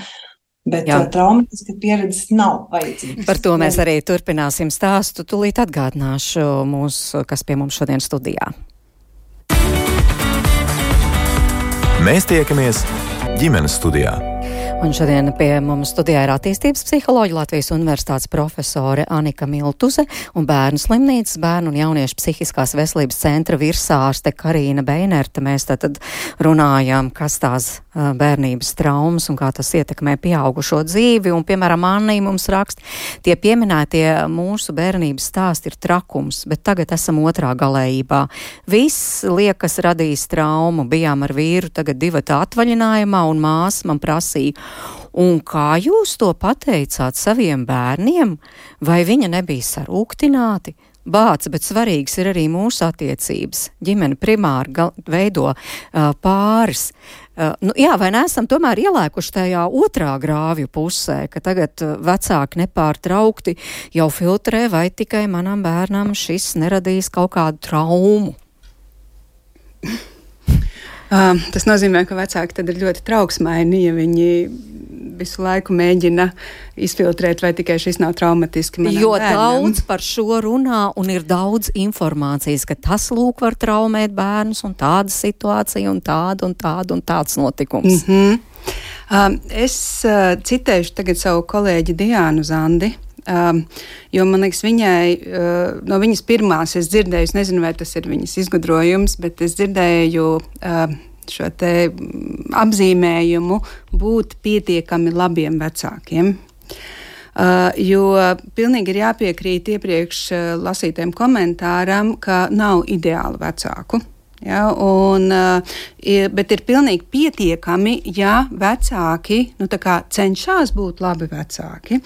Bet traumatiska pieredzes nav vajadzīgas. Par to mēs arī turpināsim stāstu. Tūlīt atgādināšu kas pie mums šodien studijā. Mēs tiekamies ģimenes studijā. Un šodien pie mums studijā ir attīstības psiholoģija, Latvijas Universitātes profesore Anika Miltuze un Bērnu slimnīcas bērnu un jauniešu psihiskās veselības centra virsārste Karīna Beinerte. Mēs tad runājām, kas tās bērnības traumas un kā tas ietekmē pieaugušo dzīvi. Un, piemēram, Annija mums raksta, tie pieminētie mūsu bērnības stāsti ir trakums, bet tagad esam otrā galējībā. Viss liekas radījis traumu. Bijām ar vīru tagad 2 atvaļinājumā un māsa man prasīja, un kā jūs to pateicāt saviem bērniem? Vai viņa nebija sarūktināti? bāc, bet svarīgs ir arī mūsu attiecības. Ģimene primāri veido pāris. Jā, vai neesam tomēr ielēkuši tajā otrā grāvju pusē, ka tagad vecāki nepārtraukti jau filtrē, vai tikai manam bērnam šis neradīs kaut kādu traumu? Tas nozīmē, ka vecāki tad ir ļoti trauksmaini, ja viņi visu laiku mēģina izfiltrēt, vai tikai šis nav traumatiski manam bērnam. Daudz par šo runā un ir daudz informācijas, ka tas lūk var traumēt bērnus un tāda situācija un tāds notikums. Es citēšu tagad savu kolēģi Diānu Zandi. Jo, man liekas, viņai no viņas pirmās es dzirdēju, es nezinu, vai tas ir viņas izgudrojums, bet es dzirdēju šo te apzīmējumu būt pietiekami labiem vecākiem. Jo pilnīgi ir jāpiekrīt iepriekš lasītiem komentāram, ka nav ideālu vecāku. Ja, bet ir pilnīgi pietiekami, ja vecāki cenšas būt labi vecāki.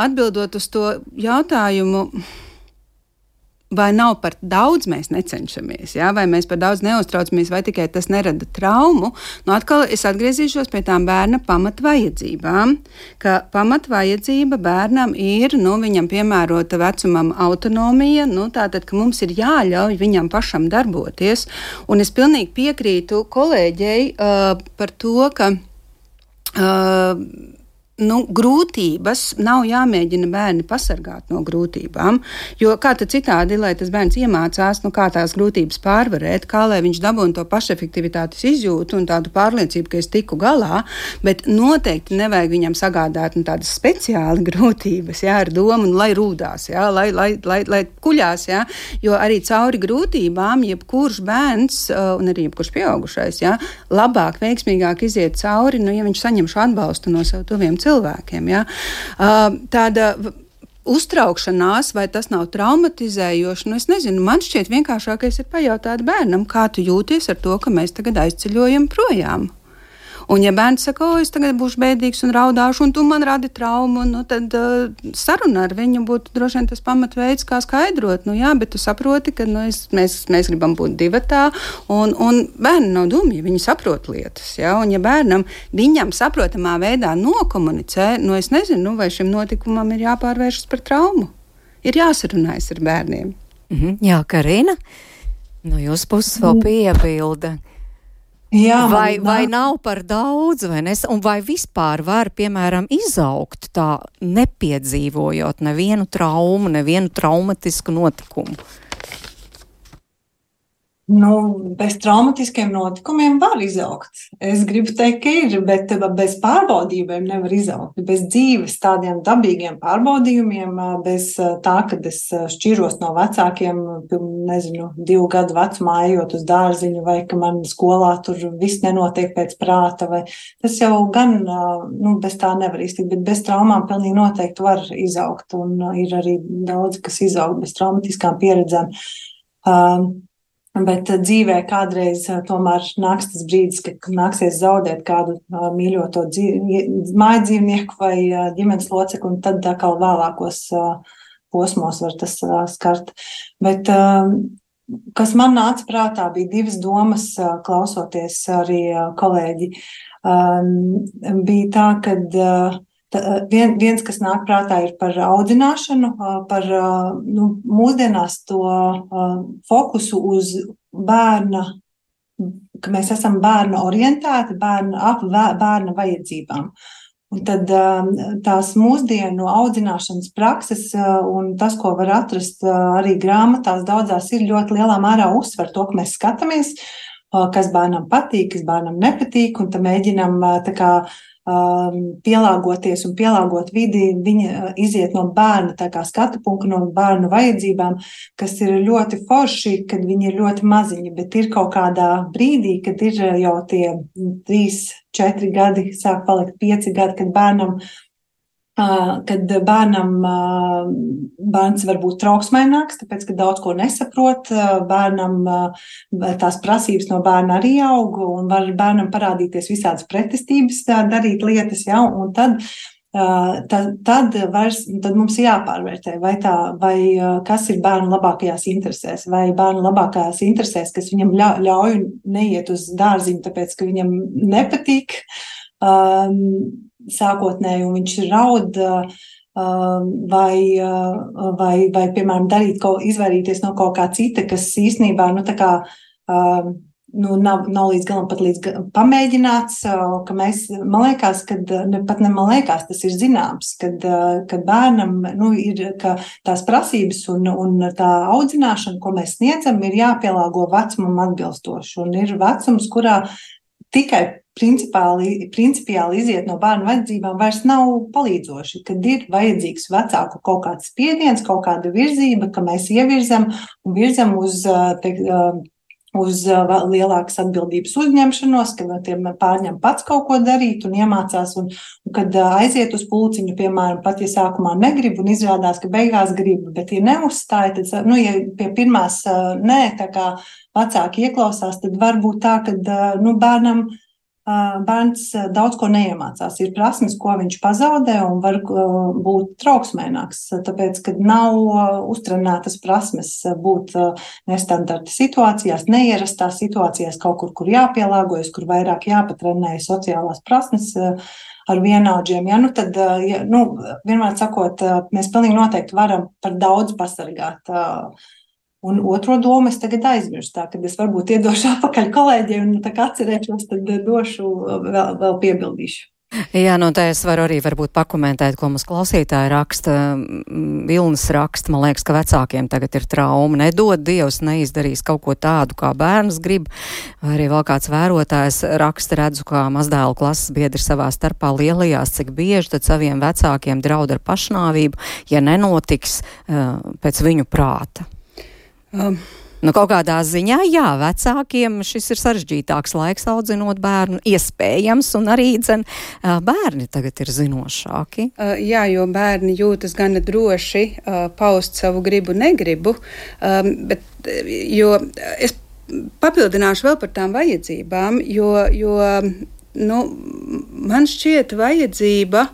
Atbildot uz to jautājumu, vai nav par daudz mēs necenšamies, ja? Vai mēs par daudz neuztraucamies, vai tikai tas nerada traumu, atkal es atgriezīšos pie tām bērna pamatvajadzībām, ka pamatvajadzība bērnam ir, viņam piemērota vecumam autonomija, tātad, ka mums ir jāļauj viņam pašam darboties, un es pilnīgi piekrītu kolēģei par to, ka grūtības nav jāmēģina bērni pasargāt no grūtībām, jo kā tad citādi, lai tas bērns iemācās, kā tās grūtības pārvarēt, kā lai viņš dabūna to pašefektivitātes izjūtu un tādu pārliecību, ka es tiku galā, bet noteikti nevajag viņam sagādāt tādas speciāli grūtības, ar domu, lai rūdās, lai kuļās, jo arī cauri grūtībām jebkurš bērns un arī jebkurš pieaugušais, labāk, veiksmīgāk iziet cauri, ja viņš saņem šo atbalstu no sev tuviem cilvēkiem. Ja? Tāda uztraukšanās, vai tas nav traumatizējoši, es nezinu, man šķiet vienkāršākais ir pajautāt bērnam, kā tu jūties ar to, ka mēs tagad aizceļojam projām. Un ja bērns saka, es tagad būšu bēdīgs un raudāšu, un tu man radi traumu, tad saruna ar viņu būtu droši vien tas pamatveids, kā skaidrot. Bet tu saproti, ka mēs gribam būt divatā, un bērni nav dumi, viņi saprot lietas. Ja? Un ja bērnam viņam saprotamā veidā nokomunicē, es nezinu, vai šim notikumam ir jāpārvēršas par traumu. Ir jāsarunājas ar bērniem. Jā, Karina, no jūsu puses vēl piebilda. Jā, vai nav par daudz, un vai vispār var, piemēram, izaugt tā, nepiedzīvojot nevienu traumu, nevienu traumatisku notikumu? Bez traumatiskiem notikumiem var izaugt. Es gribu teikt, ka ir, bet bez pārbaudījumiem nevar izaugt. Bez dzīves tādiem dabīgiem pārbaudījumiem, bez tā, kad es šķiros no vecākiem, 2 gadu vecumā ejot uz dārziņu, vai ka man skolā tur viss nenotiek pēc prāta, vai tas jau gan, bez tā nevar iztikt, bet bez traumām pilnīgi noteikti var izaugt, un ir arī daudz, kas izaug bez traumatiskām pieredzēm. Bet dzīvē kādreiz tomēr nāks tas brīdis, kad nāksies zaudēt kādu mīļoto mājdzīvnieku vai ģimenes locekli, un tad atkal vēlākos posmos var tas skart. Bet kas man nāca prātā, bija 2 domas, klausoties arī kolēģi. Bija tā, kad viens, kas nāk prātā, ir par audzināšanu, par mūsdienās to fokusu uz bērna, ka mēs esam bērna orientēti, bērna vajadzībām. Un tad tās mūsdienu audzināšanas prakses un tas, ko var atrast arī grāmatās, daudzās ir ļoti lielā mērā uzsver to, ka mēs skatāmies, kas bērnam patīk, kas bērnam nepatīk, un tad mēģinam tā kā pielāgoties un pielāgot vidi, viņa iziet no bērna tā kā skatu punkta, no bērnu vajadzībām, kas ir ļoti forši, kad viņi ir ļoti maziņi, bet ir kaut kādā brīdī, kad ir jau tie 3, 4 gadi, sāk palikt 5 gadi, kad bērns var būt trauksmaināks, tāpēc, ka daudz ko nesaprot, bērnam tās prasības no bērna arī aug, un var bērnam parādīties visādas pretestības darīt lietas, ja, un tad tad mums jāpārvērtē, vai kas ir bērnu labākajās interesēs, vai bērnu labākajās interesēs, kas viņam ļauj neiet uz dārziņu, tāpēc, ka viņam nepatīk sākotnēji, un viņš raud, vai piemēram, izvairīties no kaut kā cita, kas īstenībā, nav līdz galam pat pamēģināts, ka man liekas, tas ir zināms, kad bērnam, ir, ka tās prasības un tā audzināšana, ko mēs sniedzam, ir jāpielāgo vecumam atbilstoši, un ir vecums, kurā tikai principiāli iziet no bērnu vajadzībām vairs nav palīdzoši, kad ir vajadzīgs vecāku kaut kāds spiediens, kaut kāda virzība, ka mēs ievirzam un virzam uz lielākas atbildības uzņemšanos, kad tiem pārņem pats kaut ko darīt un iemācās, un kad aiziet uz pulciņu, piemēram, pat ja sākumā negrib un izrādās, ka beigās grib, bet ja neuzstāja, tad, ja pie pirmās nē, tā kā vecāki ieklausās, tad var būt tā, ka, bērns daudz ko neiemācās. Ir prasmes, ko viņš pazaudē un var būt trauksmēnāks, tāpēc, kad nav uztrenētas prasmes būt nestandarta situācijās, neierastās situācijās, kaut kur jāpielāgojas, kur vairāk jāpatrenē sociālās prasmes ar vienaudžiem. Tad, vienmēr sakot, mēs pilnīgi noteikti varam par daudz pasargāt. Un otro domu es tagad aizmirstu, tā, kad es varbūt iedošu atpakaļ kolēģiem un tā kā atcerēšos, tad došu vēl piebildīšu. Jā, tā es varu arī varbūt pakomentēt, ko mums klausītāji raksta. Vilnis raksta, man liekas, ka vecākiem tagad ir trauma. Nedod Dievs, neizdarīs kaut ko tādu, kā bērns grib. Vai arī vēl kāds vērotājs raksta, redzu, kā mazdēlu klases biedri savā starpā lielajās, cik bieži tad saviem vecākiem draud ar pašnāvību, ja nenotiks pēc viņu prāta. Kaut kādā ziņā, jā, vecākiem šis ir sarežģītāks laiks audzinot bērnu, iespējams, un arī bērni tagad ir zinošāki. Jā, jo bērni jūtas gana droši paust savu gribu, negribu, jo es papildināšu vēl par tām vajadzībām, jo man šķiet vajadzība.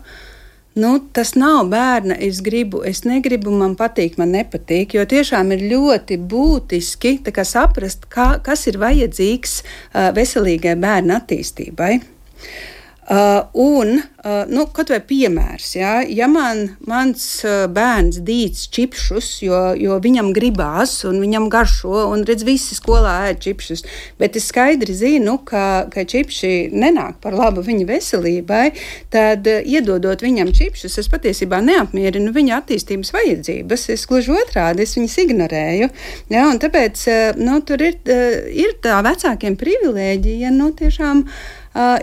Tas nav bērna, es gribu, es negribu, man patīk, man nepatīk, jo tiešām ir ļoti būtiski saprast, kas ir vajadzīgs veselīgai bērna attīstībai. Kaut vai piemērs, ja mans bērns dīts čipšus, jo viņam gribās un viņam garšo, un redz, visi skolā ēd čipšus, bet es skaidri zinu, ka čipši nenāk par labu viņa veselībai, tad iedodot viņam čipšus, es patiesībā neapmierinu viņa attīstības vajadzības, es gluži otrādi, es viņas ignorēju, un tāpēc, tur ir tā vecākiem privilēģija, tiešām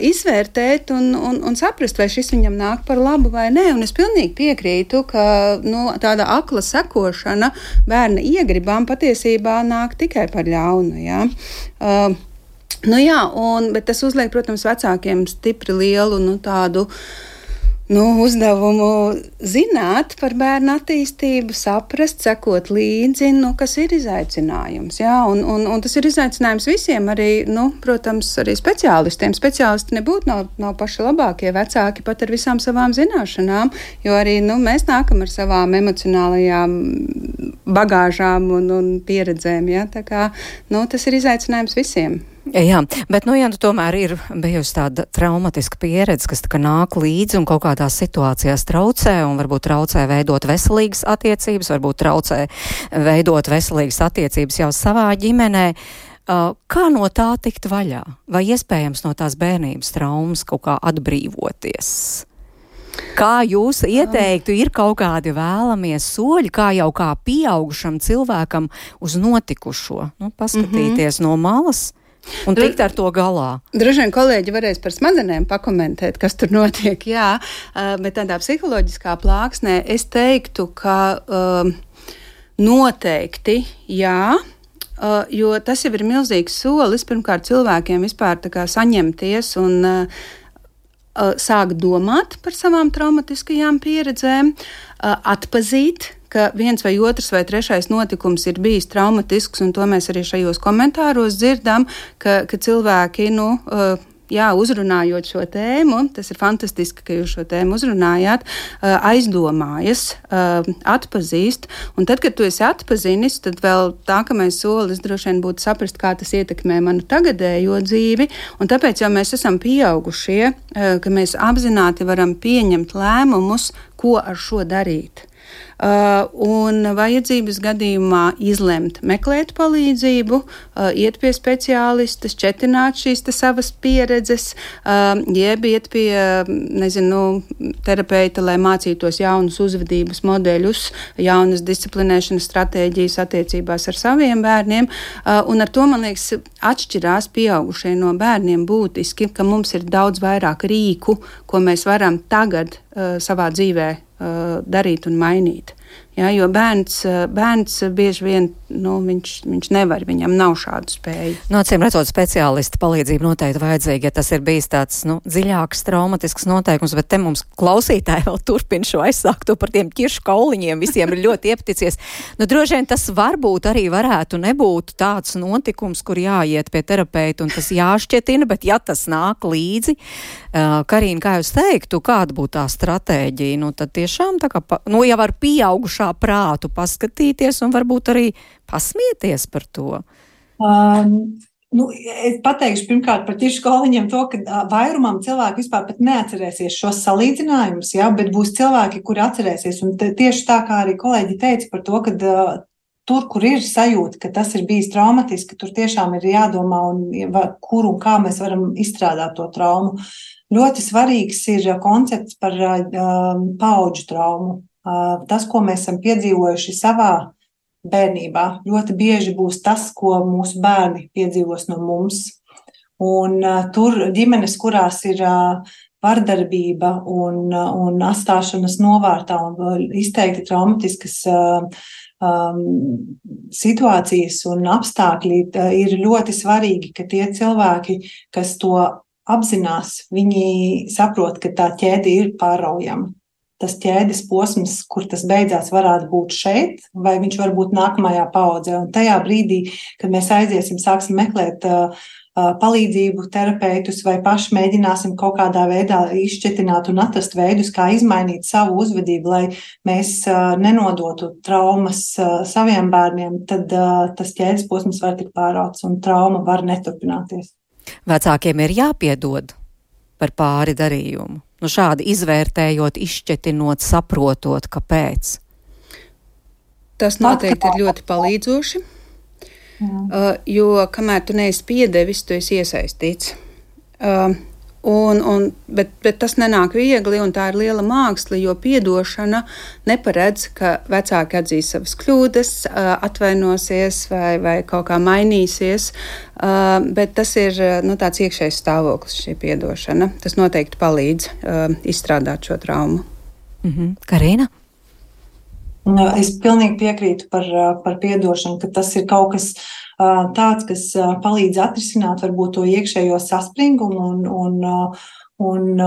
izvērtēt un saprast, vai šis viņam nāk par labu vai nē. Un es pilnīgi piekrītu, ka tāda akla sekošana bērna iegribām patiesībā nāk tikai par ļaunu. Ja? Bet tas uzliek, protams, vecākiem stipri lielu tādu uzdevumu zināt par bērnu attīstību, saprast, sekot līdzi, kas ir izaicinājums. Jā? Un tas ir izaicinājums visiem, arī, protams, arī speciālistiem. Speciālisti nebūtu nav paši labākie vecāki pat ar visām savām zināšanām, jo arī mēs nākam ar savām emocionālajām bagāžām un pieredzēm. Ja? Tā kā, tas ir izaicinājums visiem. Jā, bet, tomēr ir bijusi tāda traumatiska pieredze, kas nāk līdzi un kaut kādās situācijās traucē, un varbūt traucē veidot veselīgas attiecības, varbūt traucē veidot veselīgas attiecības jau savā ģimenē. Kā no tā tikt vaļā? Vai iespējams no tās bērnības traumas kaut kā atbrīvoties? Kā jūs ieteiktu, ir kaut kādi vēlamie soļi, kā jau kā pieaugušam cilvēkam uz notikušo? Paskatīties no malas un tikt ar to galā. Droši vien kolēģi varēs par smadzenēm pakomentēt, kas tur notiek, jā, bet tādā psiholoģiskā plāksnē es teiktu, ka noteikti jā, jo tas jau ir milzīgs solis pirmkārt cilvēkiem vispār saņemties un sākt domāt par savām traumatiskajām pieredzēm, atpazīt, ka viens vai otrs vai trešais notikums ir bijis traumatisks, un to mēs arī šajos komentāros dzirdam, ka cilvēki, uzrunājot šo tēmu, tas ir fantastiski, ka jūs šo tēmu uzrunājāt, aizdomājas, atpazīst, un tad, kad tu esi atpazinis, tad vēl nākamais solis droši vien būtu saprast, kā tas ietekmē manu tagadējo dzīvi, un tāpēc jau mēs esam pieaugušie, ka mēs apzināti varam pieņemt lēmumus, ko ar šo darīt. Un vajadzības gadījumā izlemt, meklēt palīdzību, iet pie speciālista, šķetināt šīs savas pieredzes, jeb iet pie, terapeita, lai mācītos jaunus uzvedības modeļus, jaunas disciplinēšanas stratēģijas attiecībās ar saviem bērniem. Un ar to, man liekas, atšķirās pieaugušie no bērniem būtiski, ka mums ir daudz vairāk rīku, ko mēs varam tagad savā dzīvē darīt un mainīt. Ja, jo bērns bieži vien, viņš nevar, viņam nav šādu spēju. Acīm redzot, speciālista palīdzība noteikti vajadzīga, ja tas ir bijis tāds, dziļāks, traumatisks noteikums, bet te mums klausītāji vēl turpina šo aizsākto par tiem ķiršu kauliņiem, visiem ir ļoti iepaticies. Droši vien tas varbūt arī varētu nebūt tāds notikums, kur jāiet pie terapeita un tas jāšķetina, bet ja tas nāk līdzi, Karīna, kā jūs teiktu, kāda būtu tā stratēģija? Tad tiešām tā kā, jau ar pieaugušā prātu paskatīties un varbūt arī pasmieties par to. Es pateikšu pirmkārt par ķiršu kauliņiem to, ka vairumam cilvēku vispār pat neatcerēsies šos salīdzinājumus, bet būs cilvēki, kuri atcerēsies. Un tieši tā, kā arī kolēģi teica par to, ka tur, kur ir sajūta, ka tas ir bijis traumatiski, tur tiešām ir jādomā, kur un kā mēs varam izstrādāt to traumu. Ļoti svarīgs ir koncepts par paudžu traumu. Tas, ko mēs esam piedzīvojuši savā bērnībā, ļoti bieži būs tas, ko mūsu bērni piedzīvos no mums. Un tur ģimenes, kurās ir vardarbība un atstāšanas novārtā un izteikti traumatiskas situācijas un apstākļi, ir ļoti svarīgi, ka tie cilvēki, kas to apzinās, viņi saprot, ka tā ķēde ir pāraujama. Tas ķēdes posms, kur tas beidzās, varētu būt šeit, vai viņš var būt nākamajā paaudzē. Un tajā brīdī, kad mēs aiziesim, sāksim meklēt palīdzību, terapeitus vai paši mēģināsim kaut kādā veidā izšķetināt un atrast veidus, kā izmainīt savu uzvedību, lai mēs nenodotu traumas saviem bērniem, tad tas ķēdes posms var tikt pārauts un trauma var neturpināties. Vecākiem ir jāpiedod par pāri darījumu. Šādi izvērtējot, izšķetinot, saprotot, kāpēc. Tas noteikti ir ļoti palīdzoši, jo kamēr tu neesi piedevis, tu esi iesaistīts. Bet tas nenāk viegli, un tā ir liela māksla, jo piedošana neparedz, ka vecāki atzīs savas kļūdas, atvainosies vai kaut kā mainīsies, bet tas ir tāds iekšējs stāvoklis, šī piedošana. Tas noteikti palīdz izstrādāt šo traumu. Karīna? Es pilnīgi piekrītu par piedošanu, ka tas ir kaut kas tāds, kas palīdz atrisināt varbūt to iekšējo saspringumu un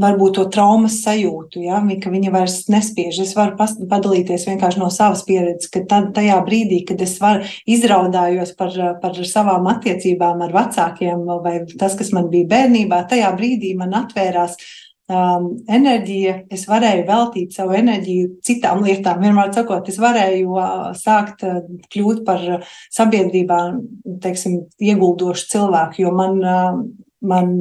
varbūt to traumas sajūtu, ka viņa vairs nespiež. Es varu padalīties vienkārši no savas pieredzes, ka tajā brīdī, kad es izraudājos par savām attiecībām ar vecākiem vai tas, kas man bija bērnībā, tajā brīdī man atvērās enerģija, es varēju veltīt savu enerģiju citām lietām. Vienmēr sakot, es varēju sākt kļūt par sabiedrībā, ieguldošu cilvēku, jo man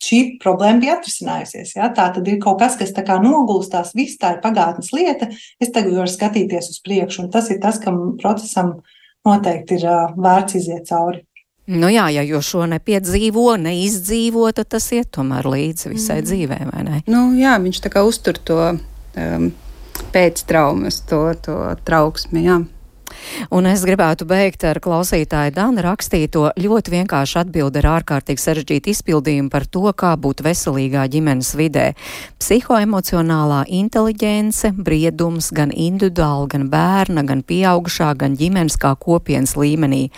šī problēma bija atrisinājusies. Ja? Tā tad ir kaut kas, kas tā kā nogulstās, viss tā ir pagātnes lieta, es tagad varu skatīties uz priekšu, un tas ir tas, kam procesam noteikti ir vērts iziet cauri. Jā, jo šo nepiedzīvo, neizdzīvo, tad tas iet tomēr līdzi visai dzīvē, vai ne? Jā, viņš tā kā uztur to pēctraumas, to trauksmi, jā. Un es gribētu beigt ar klausītāju Dana rakstīto ļoti vienkārši atbildi ar ārkārtīgi sarežģītu izpildījumu par to, kā būt veselīgā ģimenes vidē. Psihoemocionālā inteliģence, briedums gan individuāli, gan bērna, gan pieaugušā, gan ģimenes kā kopienas līmenī.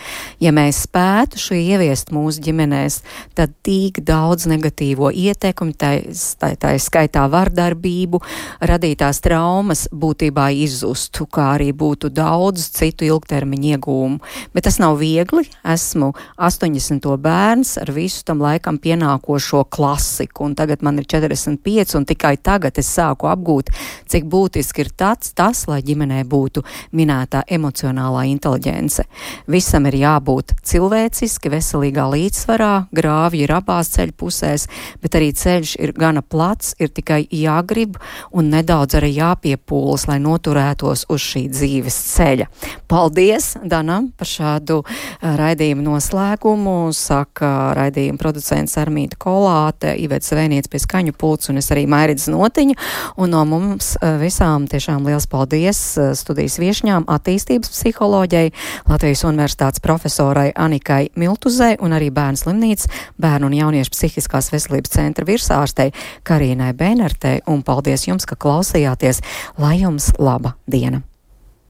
Ja mēs spētu šo ieviest mūsu ģimenēs, tad tik daudz negatīvo ietekmi, tā skaitā vardarbību, radītās traumas būtībā izzustu, kā arī būtu daudz citu gūtu ilgtermiņa iegūmu. Bet tas nav viegli. Esmu 80. bērns ar visu tam laikam pienākošo klasiku, un tagad man ir 45, un tikai tagad es sāku apgūt, cik būtiski ir tas, lai ģimenē būtu minētā emocionālā inteliģence. Visam ir jābūt cilvēciski, veselīgā līdzsvarā, grāvji ir abās ceļu pusēs, bet arī ceļš ir gana plats, ir tikai jāgrib un nedaudz arī jāpiepūlas, lai noturētos uz šī dzīves ceļa. Paldies Danam par šādu raidījumu noslēgumu, saka raidījuma producents Armīta Kolāte, Iveta Zvēniec pie skaņu pults un es arī Mairidz Notiņa, un no mums visām tiešām liels paldies studijas viešņām, attīstības psiholoģei, Latvijas Universitātes profesorai Anikai Miltuzei un arī Bērnu slimnīcas bērnu un jauniešu psihiskās veselības centra virsārstei Karīnai Bēnertei, un paldies jums, ka klausījāties, lai jums laba diena!